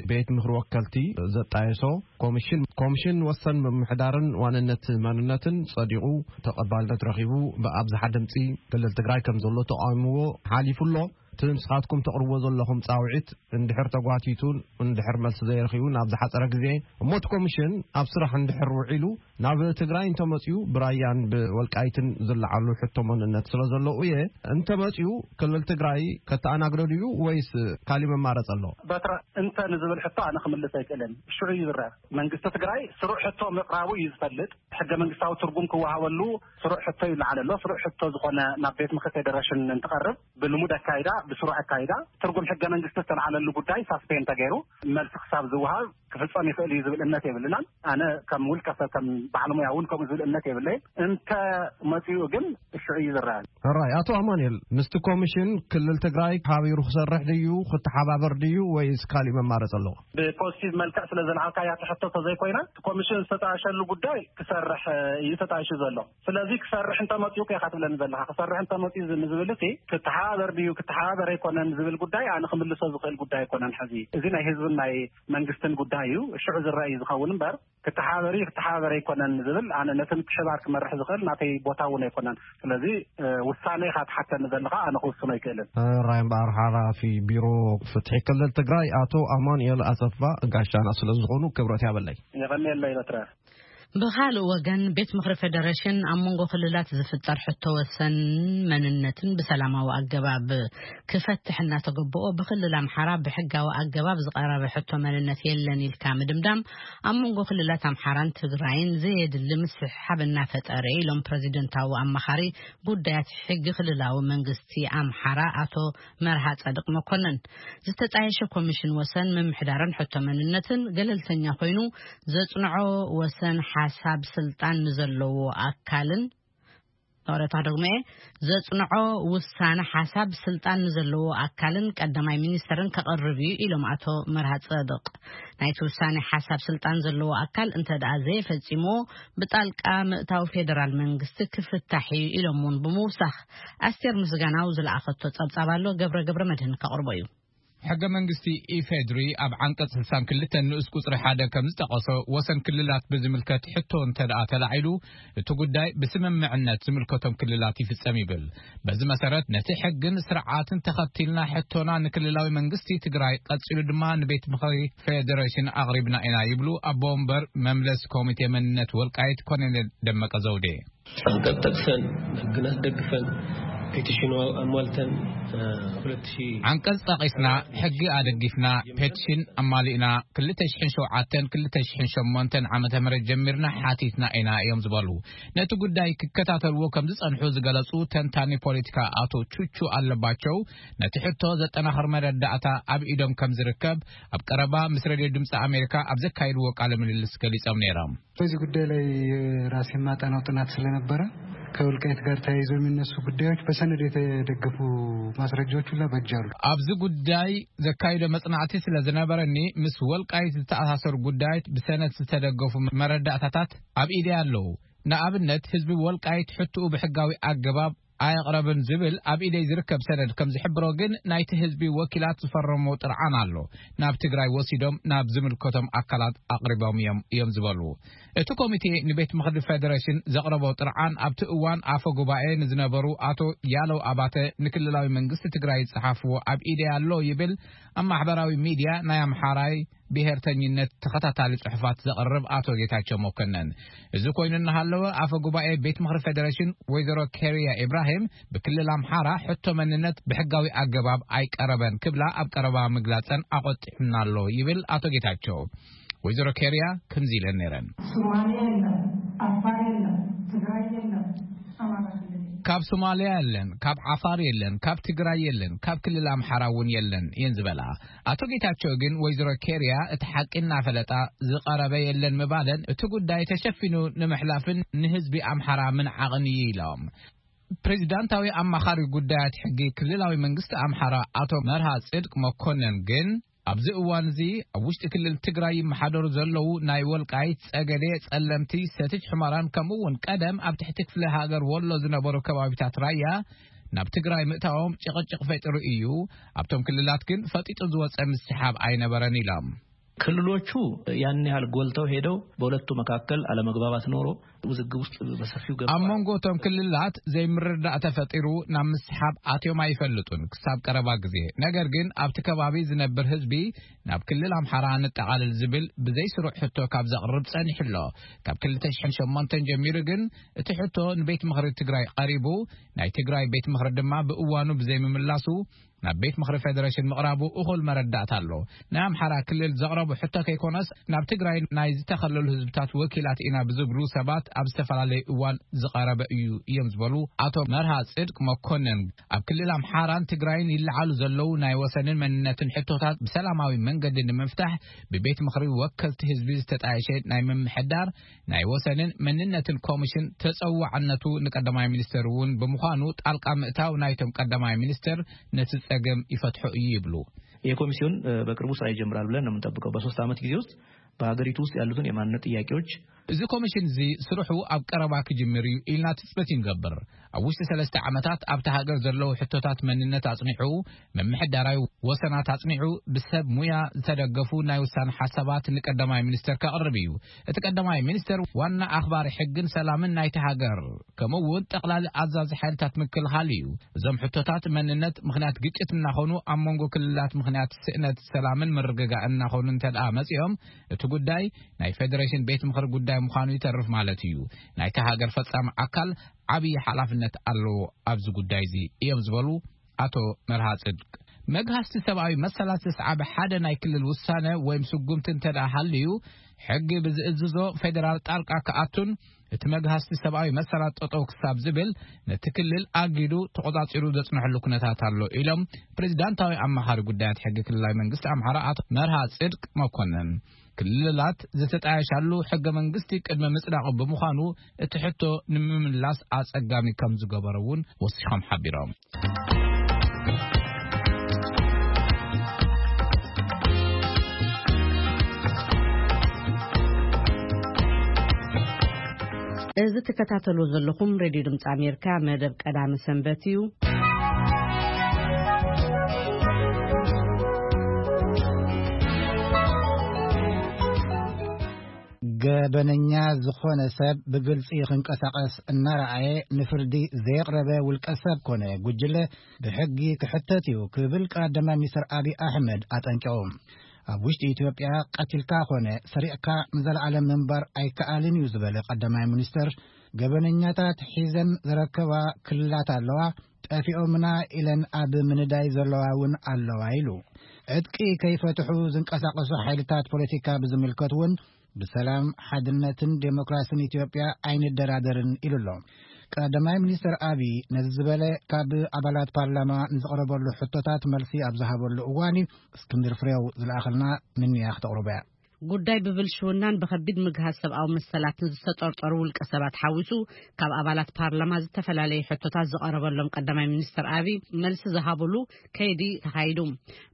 ቤት ምኽሪ ወከልቲ ዘጣየሶ ኮሚሽን፣ ኮሚሽን ወሰን ምምሕዳርን ዋንነት መንነትን ጸዲቑ ተቐባልነት ረኺቡ ብኣብዝሓ ድምጺ ክልል ትግራይ ከም ዘሎ ተቓዊምዎ ሓሊፉ ኣሎ። እቲ ንስኻትኩም ተቕርብዎ ዘለኹም ጻውዒት እንድሕር ተጓቲቱ፣ እንድሕር መልሲ ዘይረኺቡ ናብ ዝሓጸረ ግዜ፣ እሞ እቲ ኮሚሽን ኣብ ስራሕ እንድሕር ውዒሉ ናብ ትግራይ እንተመጺኡ፣ ብራያን ብወልቃይትን ዝለዓሉ ሕቶ መንነት ስለ ዘለዉ እየ፣ እንተመጺኡ ክልል ትግራይ ከተኣናግዶ ድዩ ወይስ ካሊእ መማረፂ ኣሎ? በትረ እንተ ንዝብል ሕቶ ኣነ ክምልስ ኣይክእልን። ሽዑ እዩ ዝረአ። መንግስቲ ትግራይ ስሩዕ ሕቶ ምቕራቡ እዩ ዝፈልጥ። ሕገ መንግስታዊ ትርጉም ክወሃበሉ ስሩዕ ሕቶ ይለዓል ኣሎ። ስሩዕ ሕቶ ዝኾነ ናብ ቤት ምኽሪ ፌዴሬሽን እንትቐርብ ብልሙድ ኣካይዳ፣ ብስሩዕ ኣካይዳ ትርጉም ሕገ መንግስቲ ዝተለዓለሉ ጉዳይ ሳስፔን ተገይሩ መልሲ ክሳብ ዝወሃብ ክፍጸም ይኽእል እዩ ዝብል እምነት የብልናን። ኣነ ከም ውልቀ ሰብ፣ ከም በዓል ሙያ እውን ከምኡ ዝብል እምነት የብለይን። እንተ መጺኡ ግን ሽዑ እዩ ዝረኣን። ሕራይ፣ ኣቶ ኣማኑኤል፣ ምስቲ ኮሚሽን ክልል ትግራይ ሓቢሩ ክሰርሕ ድዩ፣ ክተሓባበር ድዩ፣ ወይስ ካሊእ መማረፂ ኣለዎ? ብፖዚቲቭ መልክዕ ስለ ዘልዓልካያ እቲ ሕቶ ተዘይኮይና፣ እቲ ኮሚሽን ዝተጣየሸሉ ጉዳይ ክሰርሕ እዩ ተጣይሹ ዘሎ። ስለዚ ክሰርሕ እንተመፂኡ ከ ኢኻ ትብለኒ ዘለኻ? ክሰርሕ እንተመፂኡ ዝ-፣ ንዝብል እቲ ክተሓባበር ድዩ ክተሓባበር ኣይኮነን ዝብል ጉዳይ ኣነ ክምልሶ ዝኽእል ጉዳይ ኣይኮነን። ሕዚ እዚ ናይ ህዝብን ናይ መንግስትን ጉዳይ እዩ። ሽዑ ዝረአ እዩ ዝኸውን እምበር፣ ክተሓባበር እዩ ክተሓባበር ኣይኮነን ዝብል ኣነ ነቲ ምትሕባር ክመርሕ ዝኽእል ናተይ ቦታ እውን ኣይኮነን። ስለዚ፣ እ፣ ውሳነ ኢኻ ትሓተኒ ዘለኻ፣ ኣነ ክውስኖ ኣይክእልን። ሕራይ እምበኣር፣ ሓላፊ ቢሮ ፍትሒ ክልል ትግራይ ኣቶ ኣማኑኤል ኣሰፋ ጋሻና ስለ ዝኾኑ ክብረት ያበለይ። የቐንየለይ በትረ። ብኻልእ ወገን፣ ቤት ምኽሪ ፌደሬሽን ኣብ መንጎ ክልላት ዝፍጠር ሕቶ ወሰን መንነትን ብሰላማዊ ኣገባብ ክፈትሕ እናተገበኦ፣ ብክልል ኣምሓራ ብሕጋዊ ኣገባብ ዝቐረበ ሕቶ መንነት የለን ኢልካ ምድምዳም፣ ኣብ መንጎ ክልላት ኣምሓራን ትግራይን ዘየድሊ ምስሕሓብ እናፈጠረ ኢሎም ፕረዚደንታዊ ኣማኻሪ ጉዳያት ሕጊ ክልላዊ መንግስቲ ኣምሓራ ኣቶ መርሃ ጸድቅ መኮንን። ዝተጣየሸ ኮሚሽን ወሰን ምምሕዳርን ሕቶ መንነትን ገለልተኛ ኮይኑ ዘጽንዖ ወሰን ሓሳብ ስልጣን ንዘለዎ ኣካልን፣ ይቕሬታ፣ ደግመ እየ፣ ዘጽንዖ ውሳነ ሓሳብ ስልጣን ንዘለዎ ኣካልን ቀዳማይ ሚኒስተርን ከቕርብ እዩ ኢሎም ኣቶ መርሃ ጸድቅ። ናይቲ ውሳነ ሓሳብ ስልጣን ዘለዎ ኣካል እንተ ደኣ ዘየፈጺምዎ፣ ብጣልቃ ምእታው ፌደራል መንግስቲ ክፍታሕ እዩ ኢሎም እውን ብምውሳኽ፣ ኣስቴር ምስጋናው ዝለኣኸቶ ጸብጻብ ኣሎ፣ ገብረ ገብረ መድህን ከቕርቦ እዩ። ሕገ መንግስቲ ኢፌድሪ ኣብ ዓንቀጽ ስልሳን ክልተን ንኡስ ቁጽሪ ሓደ ከም ዝጠቐሶ፣ ወሰን ክልላት ብዝምልከት ሕቶ እንተ ደኣ ተላዒሉ፣ እቲ ጉዳይ ብስምምዕነት ዝምልከቶም ክልላት ይፍጸም ይብል። በዚ መሰረት፣ ነቲ ሕግን ስርዓትን ተኸቲልና ሕቶና ንክልላዊ መንግስቲ ትግራይ፣ ቀጺሉ ድማ ንቤት ምኽሪ ፌደሬሽን ኣቕሪብና ኢና ይብሉ ኣቦ ወንበር መምለስ ኮሚቴ መንነት ወልቃይት ኮሎኔል ደመቀ ዘውዴ። ኣንቀጽ ጠቅሰን፣ ሕግን ኣስደግፈን፣ ፔቲሽኑ ኣሟልተን፣ እ፣ ሁለት ሺህ ዓንቀጽ ጠቂስና፣ ሕጊ ኣደጊፍና፣ ፔቲሽን ኣማሊእና፣ ክልተ ሽሕን ሸውዓተን ክልተ ሽሕን ሸሞንተን ዓመተ ምህረት ጀሚርና ሓቲትና ኢና እዮም ዝበሉ። ነቲ ጉዳይ ክከታተልዎ ከም ዝጸንሑ ዝገለጹ ተንታኒ ፖለቲካ ኣቶ ቹቹ ኣለባቸው፣ ነቲ ሕቶ ዘጠናኽር መረዳእታ ኣብ ኢዶም ከም ዝርከብ ኣብ ቀረባ ምስ ሬድዮ ድምፂ ኣሜሪካ ኣብ ዘካየድዎ ቃለ ምልልስ ገሊጾም ነይሮም። በዚህ ጉዳይ ላይ የራሴ የማጠናው ጥናት ስለነበረ፣ ከወልቃይት ጋር ተያይዞ የሚነሱ ጉዳዮች በሰነድ የተደገፉ ማስረጃዎች ሁላ በእጅ አሉ። ኣብዚ ጉዳይ ዘካይዶ መጽናዕቲ ስለ ዝነበረኒ፣ ምስ ወልቃይት ዝተኣሳሰሩ ጉዳያት ብሰነድ ዝተደገፉ መረዳእታታት ኣብ ኢደይ ኣለዉ። ንኣብነት፣ ህዝቢ ወልቃይት ሕትኡ ብሕጋዊ ኣገባብ ኣየቕረብን ዝብል ኣብ ኢደይ ዝርከብ ሰነድ ከም ዝሕብሮ፣ ግን ናይቲ ህዝቢ ወኪላት ዝፈረሞ ጥርዓን ኣሎ። ናብ ትግራይ ወሲዶም ናብ ዝምልከቶም ኣካላት ኣቕሪቦም እዮም፣ እዮም ዝበሉ። እቲ ኮሚቴ ንቤት ምኽሪ ፌደሬሽን ዘቕረቦ ጥርዓን፣ ኣብቲ እዋን ኣፈ ጉባኤ ንዝነበሩ ኣቶ ያለው ኣባተ ንክልላዊ መንግስቲ ትግራይ ዝጸሓፍዎ ኣብ ኢደይ ኣሎ ይብል፣ ኣብ ማሕበራዊ ሚድያ ናይ ኣምሓራይ ብሄርተኝነት ተኸታታሊ ጽሑፋት ዘቕርብ ኣቶ ጌታቸው መኮነን። እዚ ኮይኑ እናሃለወ፣ ኣፈ ጉባኤ ቤት ምኽሪ ፌደሬሽን ወይዘሮ ኬርያ ኢብራሂም፣ ብክልል ኣምሓራ ሕቶ መንነት ብሕጋዊ ኣገባብ ኣይቀረበን ክብላ ኣብ ቀረባ ምግላጸን ኣቖጢዑና ኣሎ ይብል ኣቶ ጌታቸው። ወይዘሮ ኬርያ ከምዚ ኢለን ነይረን። ሶማሌ የለም፣ ኣፋር የለም፣ ትግራይ የለም፣ ኣማራ ክልል የለም። ካብ ሶማሊያ የለን፣ ካብ ዓፋር የለን፣ ካብ ትግራይ የለን፣ ካብ ክልል ኣምሓራ እውን የለን እየን ዝበላ። ኣቶ ጌታቸው ግን ወይዘሮ ኬርያ እቲ ሓቂ እናፈለጣ ዝቐረበ የለን ምባለን፣ እቲ ጉዳይ ተሸፊኑ ንምሕላፍን ንህዝቢ ኣምሓራ ምንዓቕን እዩ ኢሎም። ፕሬዚዳንታዊ ኣማኻሪ ጉዳያት ሕጊ ክልላዊ መንግስቲ ኣምሓራ ኣቶ መርሃ ጽድቅ መኮነን ግን፣ ኣብዚ እዋን እዚ ኣብ ውሽጢ ክልል ትግራይ ይመሓደሩ ዘለዉ ናይ ወልቃይት፣ ጸገዴ፣ ጸለምቲ፣ ሰቲት ሑመራን ከምኡ እውን ቀደም ኣብ ትሕቲ ክፍለ ሃገር ወሎ ዝነበሩ ከባቢታት ራያ ናብ ትግራይ ምእታዎም ጭቕጭቕ ፈጢሩ እዩ። ኣብቶም ክልላት ግን ፈጢጡ ዝወጸ ምስሓብ ኣይነበረን ኢሎም። ክልሎቹ ያን ያህል ጎልተው ሄደው በሁለቱ መካከል አለመግባባት ኖሮ ውዝግብ ውስጥ በሰፊው ገብተዋል። ኣብ መንጎ እቶም ክልላት ዘይምርዳእ ተፈጢሩ ናብ ምስሓብ ኣትዮም ኣይፈልጡን ክሳብ ቀረባ ግዜ። ነገር ግን ኣብቲ ከባቢ ዝነብር ህዝቢ ናብ ክልል ኣምሓራ ንጠቓልል ዝብል ብዘይ ስሩዕ ሕቶ ካብ ዘቕርብ ጸኒሑ ኣሎ። ካብ ክልተ ሽሕን ሸሞንተን ጀሚሩ ግን እቲ ሕቶ ንቤት ምኽሪ ትግራይ ቀሪቡ፣ ናይ ትግራይ ቤት ምኽሪ ድማ ብእዋኑ ብዘይምምላሱ ናብ ቤት ምኽሪ ፌደሬሽን ምቕራቡ እኹል መረዳእታ ኣሎ። ናይ ኣምሓራ ክልል ዘቕረቡ ሕቶ ከይኮነስ፣ ናብ ትግራይ ናይ ዝተኸለሉ ህዝብታት ወኪላት ኢና ብዝብሉ ሰባት ኣብ ዝተፈላለዩ እዋን ዝቐረበ እዩ እዮም ዝበሉ ኣቶ መርሃ ጽድቅ መኮንን፣ ኣብ ክልል ኣምሓራን ትግራይን ይለዓሉ ዘለዉ ናይ ወሰንን መንነትን ሕቶታት ብሰላማዊ መንገዲ ንምፍታሕ ብቤት ምኽሪ ወከልቲ ህዝቢ ዝተጣየሸ ናይ ምምሕዳር ናይ ወሰንን መንነትን ኮሚሽን ተጸዋዕነቱ ንቀዳማይ ሚኒስተር እውን ብምዃኑ፣ ጣልቃ ምእታው ናይቶም ቀዳማይ ሚኒስተር ነቲ ጸገም ይፈትሖ እዩ ይብሉ። ይህ ኮሚሲዮን፣ እ፣ በቅርቡ ስራ ይጀምራል ብለን ነው የምንጠብቀው። በሶስት ዓመት ጊዜ ውስጥ በሀገሪቱ ውስጥ ያሉትን የማንነት ጥያቄዎች እዚ ኮሚሽን እዚ ስርሑ ኣብ ቀረባ ክጅምር እዩ ኢልና ትጽቢት ይንገብር። ኣብ ውሽጢ ሰለስተ ዓመታት ኣብታ ሃገር ዘለዉ ሕቶታት መንነት ኣጽኒዑ፣ ምምሕዳራዊ ወሰናት ኣጽኒዑ፣ ብሰብ ሙያ ዝተደገፉ ናይ ውሳነ ሓሳባት ንቀዳማይ ሚኒስተር ከቕርብ እዩ። እቲ ቀዳማይ ሚኒስተር ዋና ኣኽባሪ ሕግን ሰላምን ናይቲ ሃገር፣ ከምኡ እውን ጠቕላሊ ኣዛዚ ሓይልታት ምክልኻል እዩ። እዞም ሕቶታት መንነት ምኽንያት ግጭት እናኾኑ፣ ኣብ መንጎ ክልላት ምኽንያት ስእነት ሰላምን ምርግጋእን እናኾኑ እንተ ደኣ መጺኦም፣ እቲ ጉዳይ ናይ ፌደሬሽን ቤት ምኽሪ ጉዳይ ምዃኑ ይተርፍ ማለት እዩ። ናይቲ ሃገር ፈጻሚ ኣካል ዓብዪ ሓላፍነት ኣለዎ ኣብዚ ጉዳይ እዚ እዮም ዝበሉ ኣቶ መርሃ ጽድቅ። መግሃስቲ ሰብኣዊ መሰላት ዘስዓበ ሓደ ናይ ክልል ውሳነ ወይም ስጉምቲ እንተ ደኣ ሃልዩ፣ ሕጊ ብዝእዝዞ ፌደራል ጣልቃ ክኣቱን እቲ መግሃስቲ ሰብኣዊ መሰላት ጠጠው ክሳብ ዝብል ነቲ ክልል ኣጊዱ ተቖጻጺሩ ዘጽንሐሉ ኩነታት ኣሎ ኢሎም ፕሬዚዳንታዊ ኣማኻሪ ጉዳያት ሕጊ ክልላዊ መንግስቲ ኣምሓራ ኣቶ መርሃ ጽድቅ መኮንን። ክልላት ዝተጣየሻሉ ሕገ መንግስቲ ቅድመ ምጽዳቑ ብምዃኑ እቲ ሕቶ ንምምላስ ኣጸጋሚ ከም ዝገበረ እውን ወሲኾም ሓቢሮም። እዚ ትከታተሉ ዘለኹም ሬድዮ ድምፂ ኣሜሪካ መደብ ቀዳሚ ሰንበት እዩ። ገበነኛ ዝኾነ ሰብ ብግልጺ ክንቀሳቐስ እናረኣየ ንፍርዲ ዘየቕረበ ውልቀ ሰብ ኮነ ጉጅለ ብሕጊ ክሕተት እዩ ክብል ቀዳማይ ሚኒስትር ኣብይ ኣሕመድ ኣጠንቂቑ። ኣብ ውሽጢ ኢትዮጵያ ቀቲልካ ኮነ ሰሪቕካ ንዘለኣለም ምንባር ኣይከኣልን እዩ ዝበለ ቀዳማይ ሚኒስትር፣ ገበነኛታት ሒዘን ዝረከባ ክልላት ኣለዋ፣ ጠፊኦምና ኢለን ኣብ ምንዳይ ዘለዋ እውን ኣለዋ ኢሉ። ዕጥቂ ከይፈትሑ ዝንቀሳቐሱ ሓይልታት ፖለቲካ ብዝምልከት እውን ብሰላም፣ ሓድነትን ዴሞክራሲን ኢትዮጵያ ኣይንደራደርን ኢሉ ኣሎ። ቀዳማይ ሚኒስትር ኣብይ ነዚ ዝበለ ካብ ኣባላት ፓርላማ ንዝቐረበሉ ሕቶታት መልሲ ኣብ ዝሃበሉ እዋን እዩ። እስክንድር ፍሬው ዝለኣኸልና ምንያ ክተቕርቦ እያ። ጉዳይ ብብልሽውናን ብኸቢድ ምግሃስ ሰብኣዊ መሰላትን ዝተጠርጠሩ ውልቀ ሰባት ሓዊሱ ካብ ኣባላት ፓርላማ ዝተፈላለዩ ሕቶታት ዝቐረበሎም ቀዳማይ ሚኒስትር ኣብይ መልሲ ዝሃብሉ ከይዲ ተኻይዱ።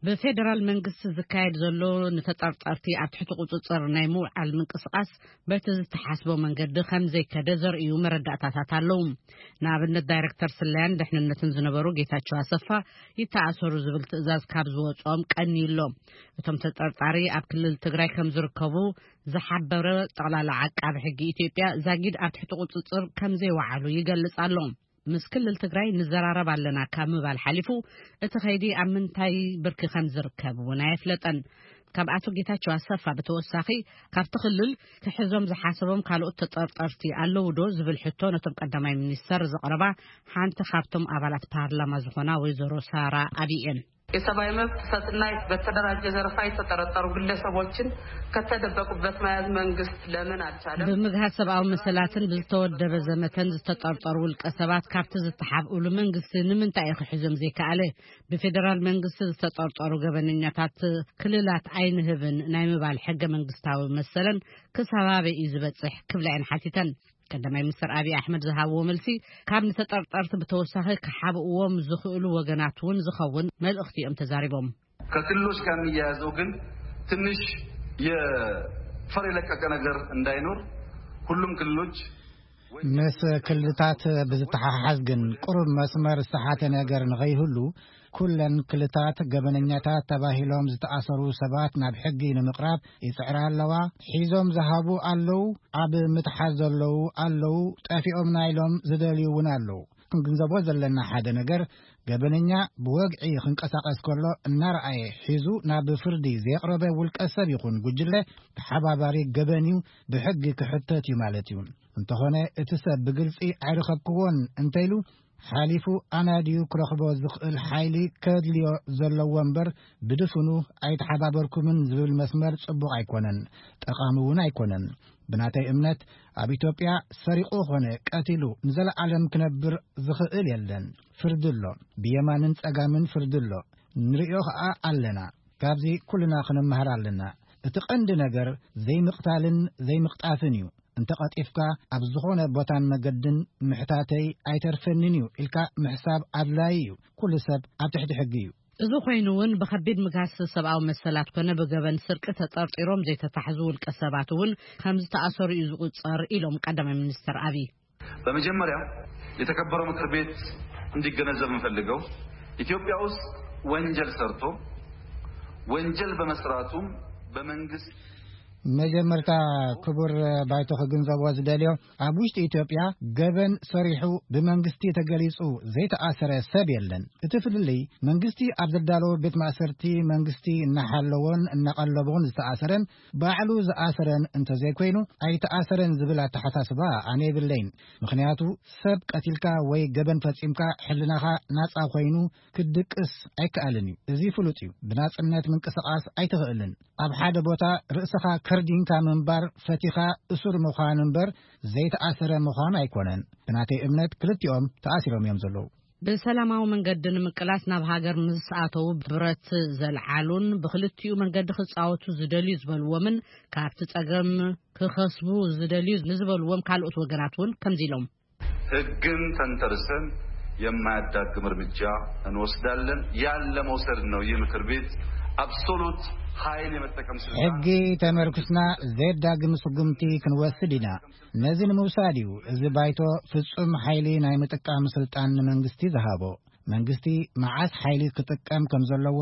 ብፌደራል መንግስቲ ዝካየድ ዘሎ ንተጠርጠርቲ ኣብ ትሕቲ ቁጽጽር ናይ ምውዓል ምንቅስቓስ በቲ ዝተሓስቦ መንገዲ ከም ዘይከደ ዘርእዩ መረዳእታታት ኣለዉ። ንኣብነት ዳይሬክተር ስለያን ድሕንነትን ዝነበሩ ጌታቸው ኣሰፋ ይተኣሰሩ ዝብል ትእዛዝ ካብ ዝወፅኦም ቀንዩ ኣሎ። እቶም ተጠርጣሪ ኣብ ክልል ትግራይ ከም ዝርከቡ ዝሓበረ ጠቕላላ ዓቃቢ ሕጊ ኢትዮጵያ ዛጊድ ኣብ ትሕቲ ቁፅፅር ከም ዘይወዓሉ ይገልጽ ኣሎ። ምስ ክልል ትግራይ ንዘራረብ ኣለና ካብ ምባል ሓሊፉ እቲ ከይዲ ኣብ ምንታይ ብርኪ ከም ዝርከብ እውን ኣየፍለጠን። ካብ ኣቶ ጌታቸው ኣሰፋ ብተወሳኺ ካብቲ ክልል ክሕዞም ዝሓሰቦም ካልኦት ተጠርጠርቲ ኣለዉ ዶ ዝብል ሕቶ ነቶም ቀዳማይ ሚኒስተር ዘቕረባ ሓንቲ ካብቶም ኣባላት ፓርላማ ዝኾና ወይዘሮ ሳራ ኣብይ እየን። የሰብአዊ መብት ጥሰትና በተደራጀ ዘረፋ የተጠረጠሩ ግለሰቦችን ከተደበቁበት መያዝ መንግስት ለምን አልቻለም? ብምግሃስ ሰብኣዊ መሰላትን ብዝተወደበ ዘመተን ዝተጠርጠሩ ውልቀ ሰባት ካብቲ ዝተሓብእሉ መንግስቲ ንምንታይ እዩ ክሕዞም ዘይከኣለ? ብፌደራል መንግስቲ ዝተጠርጠሩ ገበነኛታት ክልላት ኣይንህብን ናይ ምባል ሕገ መንግስታዊ መሰለን ክሳብ ኣበይ እዩ ዝበፅሕ ክብላ እየን ሓቲተን። ቀዳማይ ሚኒስትር ኣብይ ኣሕመድ ዝሃብዎ መልሲ ካብ ንተጠርጠርቲ ብተወሳኺ ክሓብእዎም ዝኽእሉ ወገናት እውን ዝኸውን መልእኽቲ እዮም ተዛሪቦም። ከክልሎች ጋር የሚያያዘው ግን ትንሽ የፈር የለቀቀ ነገር እንዳይኖር ሁሉም ክልሎች ምስ ክልታት ብዝተሓሓዝ ግን ቅሩብ መስመር ዝተሓተ ነገር ንኸይህሉ ኩለን ክልታት ገበነኛታት ተባሂሎም ዝተኣሰሩ ሰባት ናብ ሕጊ ንምቕራብ ይጽዕራ ኣለዋ። ሒዞም ዝሃቡ ኣለዉ፣ ኣብ ምትሓዝ ዘለዉ ኣለዉ፣ ጠፊኦምና ኢሎም ዝደልዩ እውን ኣለዉ። ክንግንዘቦ ዘለና ሓደ ነገር፣ ገበነኛ ብወግዒ ክንቀሳቐስ ከሎ እናረኣየ ሒዙ ናብ ፍርዲ ዘየቕረበ ውልቀ ሰብ ይኹን ጉጅለ ተሓባባሪ ገበን እዩ፣ ብሕጊ ክሕተት እዩ ማለት እዩ። እንተኾነ እቲ ሰብ ብግልጺ ኣይረኸብክዎን እንተኢሉ ሓሊፉ ኣናድዩ ክረኽቦ ዝኽእል ሓይሊ ከድልዮ ዘለዎ እምበር ብድፍኑ ኣይተሓባበርኩምን ዝብል መስመር ጽቡቕ ኣይኮነን፣ ጠቓሚ እውን ኣይኮነን። ብናተይ እምነት ኣብ ኢትዮጵያ ሰሪቑ ኾነ ቀቲሉ ንዘለኣለም ክነብር ዝኽእል የለን። ፍርዲ ኣሎ፣ ብየማንን ጸጋምን ፍርዲ ኣሎ። ንርእዮ ኸኣ ኣለና። ካብዚ ኩልና ክንመሃር ኣለና። እቲ ቀንዲ ነገር ዘይምቕታልን ዘይምቕጣፍን እዩ። እንተ ቀጢፍካ ኣብ ዝኾነ ቦታን መገድን ምሕታተይ ኣይተርፈንን እዩ ኢልካ ምሕሳብ ኣድላዪ እዩ። ኩሉ ሰብ ኣብ ትሕቲ ሕጊ እዩ። እዚ ኮይኑ እውን ብኸቢድ ምግሃስ ሰብኣዊ መሰላት ኮነ ብገበን ስርቂ ተጠርጢሮም ዘይተታሕዙ ውልቀ ሰባት እውን ከም ዝተኣሰሩ እዩ ዝቑጸር ኢሎም ቀዳማይ ሚኒስትር ኣብይ። በመጀመሪያ የተከበረው ምክር ቤት እንዲገነዘብ የምፈልገው ኢትዮጵያ ውስጥ ወንጀል ሰርቶ ወንጀል በመስራቱም በመንግስት መጀመርታ ክቡር ባይቶ ክግንዘቦ ዝደልዮ፣ ኣብ ውሽጢ ኢትዮጵያ ገበን ሰሪሑ ብመንግስቲ ተገሊጹ ዘይተኣሰረ ሰብ የለን። እቲ ፍልልይ መንግስቲ ኣብ ዘዳለዎ ቤት ማእሰርቲ መንግስቲ እናሓለዎን እናቐለቦን ዝተኣሰረን ባዕሉ ዝኣሰረን እንተዘይኮይኑ ኣይተኣሰረን ዝብል ኣተሓሳስባ ኣነ የብለይን። ምኽንያቱ ሰብ ቀቲልካ ወይ ገበን ፈጺምካ ሕልናኻ ናጻ ኮይኑ ክትድቅስ ኣይከኣልን እዩ። እዚ ፍሉጥ እዩ። ብናጽነት ምንቅስቓስ ኣይትኽእልን። ኣብ ሓደ ቦታ ርእስኻ ከርዲንካ ምንባር ፈቲኻ እሱር ምዃን እምበር ዘይተኣሰረ ምዃን ኣይኮነን። ብናተይ እምነት ክልቲኦም ተኣሲሮም እዮም ዘለዉ። ብሰላማዊ መንገዲ ንምቅላስ ናብ ሃገር ምስ ኣተዉ ብረት ዘልዓሉን ብክልቲኡ መንገዲ ክጻወቱ ዝደልዩ ዝበልዎምን ካብቲ ጸገም ክኸስቡ ዝደልዩ ንዝበልዎም ካልኦት ወገናት እውን ከምዚ ኢሎም። ህግን ተንተርሰን የማያዳግም እርምጃ እንወስዳለን። ያን ለመውሰድ ነው ይህ ምክር ቤት አብሶሉት ኃይል የመጠቀም ስልጣን ሕጊ ተመርኩስና ዘየዳግም ስጉምቲ ክንወስድ ኢና። ነዚ ንምውሳድ እዩ እዚ ባይቶ ፍጹም ሓይሊ ናይ ምጥቃም ስልጣን ንመንግስቲ ዝሃቦ። መንግስቲ መዓስ ሓይሊ ክጥቀም ከም ዘለዎ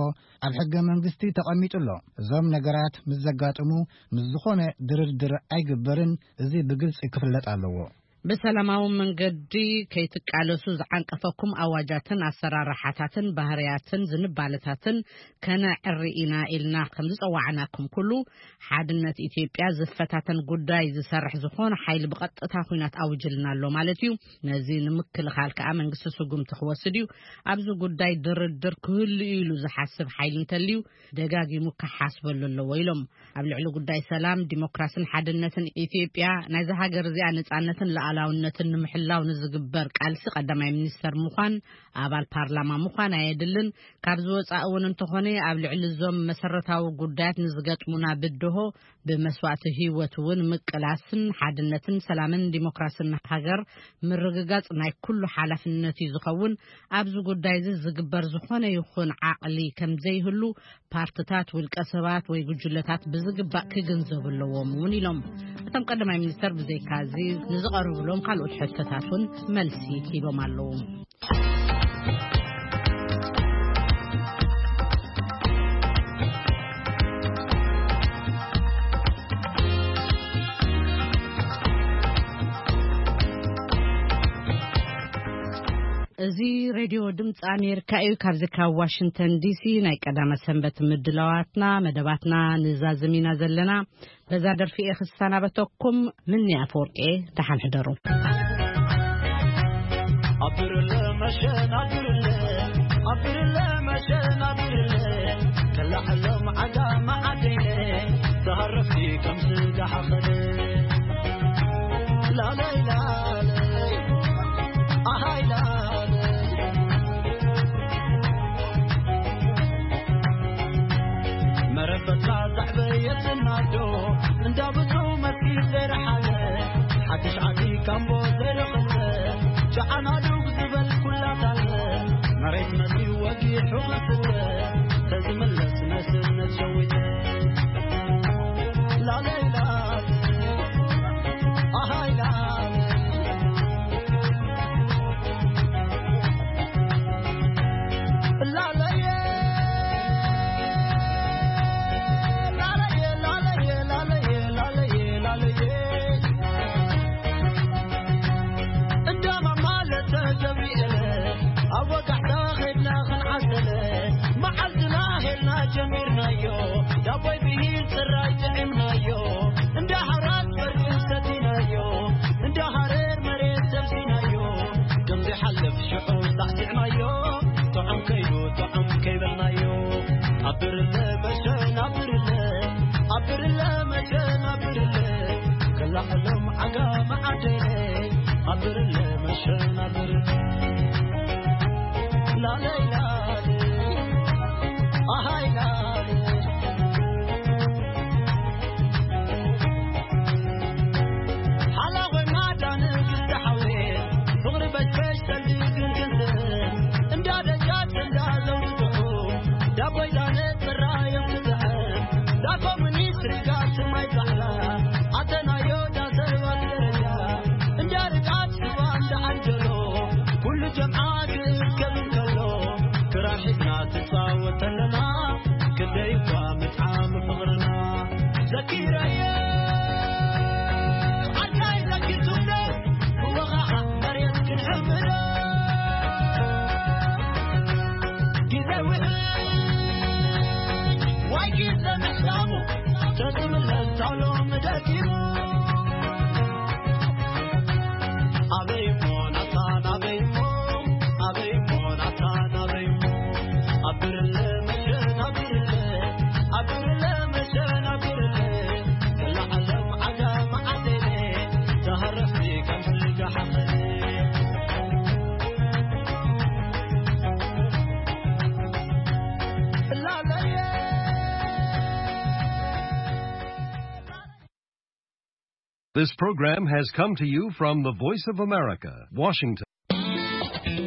ኣብ ሕገ መንግስቲ ተቐሚጡ ኣሎ። እዞም ነገራት ምስ ዘጋጥሙ ምስ ዝኾነ ድርድር ኣይግበርን። እዚ ብግልጺ ክፍለጥ ኣለዎ። ብሰላማዊ መንገዲ ከይትቃለሱ ዝዓንቀፈኩም ኣዋጃትን ኣሰራርሓታትን ባህርያትን ዝንባለታትን ከነዕሪ ኢና ኢልና ከም ዝጸዋዕናኩም ኩሉ፣ ሓድነት ኢትዮጵያ ዝፈታተን ጉዳይ ዝሰርሕ ዝኾነ ሓይሊ ብቐጥታ ኲናት ኣውጅልና ኣሎ ማለት እዩ። ነዚ ንምክልኻል ከኣ መንግስቲ ስጉምቲ ክወስድ እዩ። ኣብዚ ጉዳይ ድርድር ክህሉ እዩ ኢሉ ዝሓስብ ሓይሊ እንተልዩ ደጋጊሙ ክሓስበሉ ኣለዎ ኢሎም። ኣብ ልዕሊ ጉዳይ ሰላም፣ ዲሞክራስን ሓድነትን ኢትዮጵያ ናይዛ ሃገር እዚኣ ነጻነትን ሉዓላውነትን ንምሕላው ንዝግበር ቃልሲ ቀዳማይ ሚኒስተር ምዃን፣ ኣባል ፓርላማ ምዃን ኣየድልን። ካብ ዝወጻእ እውን እንተኾነ ኣብ ልዕሊ እዞም መሰረታዊ ጉዳያት ንዝገጥሙና ብድሆ ብመስዋእቲ ህይወት እውን ምቅላስን ሓድነትን ሰላምን ዲሞክራስን ሃገር ምርግጋጽ ናይ ኩሉ ሓላፍነት እዩ ዝኸውን። ኣብዚ ጉዳይ እዚ ዝግበር ዝኾነ ይኹን ዓቕሊ ከም ዘይህሉ ፓርትታት፣ ውልቀ ሰባት ወይ ጉጅለታት ብዝግባእ ክግንዘቡ ኣለዎም እውን ኢሎም። እቶም ቀዳማይ ሚኒስተር ብዘይካዚ ንዝቐርብሎም ካልኦት ሕቶታት እውን መልሲ ሂቦም ኣለዉ። እዚ ሬድዮ ድምፂ ኣሜሪካ እዩ። ካብዚ ካብ ዋሽንግተን ዲሲ ናይ ቀዳመ ሰንበት ምድላዋትና መደባትና ንዛዝም ኢና ዘለና። በዛ ደርፊ እየ ክሰናበተኩም። ምኒ ኣፈወርቂ፣ ደሓን ሕደሩ። ኣብርለ መሸን ኣብርለ ኣብርለ መሸን ኣብርለ ከላዕሎም ዓጋ መዓደይነ ተሃረፍቲ ከም ስጋ ሓኸለ ላለይ ላለይ ኣሃይ ላለይ መረበትካ ዘዕበየትና ዶ እንዳብዙ መስኪን ዘይረሓለ ሓድሽ ዓዲ ካምቦ ዘይረኸበ ጨዓና ዱግ ዝበል ኩላታለ መሬት መሲ ወጊሑ ክስለ ተዝምለስ መስነት ሸዊተ ላለይ ላለይ ኣሃይ ላለይ ጀሚርናዮ ዳቦይ ብሂል ጽራይ ጥዒምናዮ እንዳ ሓራት በርግን ሰቲናዮ እንዳ ሃረር መሬት ሰብሲናዮ ከም ዘይሓልፍ ሽዑ ሳዕሲዕናዮ ጥዑም ከይዱ ጥዑም ከይበልናዮ ኣብርለ መሸን ኣብርለ ኣብርለ መሸን ኣብርለ ከላዕሎም ዓጋ መዓደይ ኣብርለ መሸን ኣብርለ ላለይ ላለይ ኣሃይ ላለይ ሓላ ኮይና ዳንግስቲ ሓውየ ፍቕሪ በሽበሽ ሰልዲ ግንግንት እንዳ ደጃት እንዳ ዘውድትሑ ዳቦይ ዳነ ጽራዮም ትጥዕም ዳኮ ሚኒስትሪ ጋር ስማይ ዛዕላ ኣተናዮ ዳሰባት ደረጃ እንዳ ርቃት ዓዲ ከብል ከሎ ክራር ሒዝና ትጻወት ኣለና። ክንደይ እኳ ምጥዓም ፍቕርና ዘኪረየ ዓዳይ ዘኪርኩምዶ ብወቓዓ መሬት ክንሕምዶ። ግዜ ውሕድ ዋይ ግዜ ምሕላሙ ተዝምለስ ዳሎ ምደጊሙ። ኣበይሞ ናታ ናበይሞ ኣበይሞ ናታ ናበይሞ ኣብርለ መሸን ኣብርለ ኣብርለ መሸን ኣብርለ ክላዓለም ዓጋም ዓደለ ተሃረፍቲ ከም ሕልጋ ሓኸለ እላለየ። This program has come to you from the Voice of America, Washington.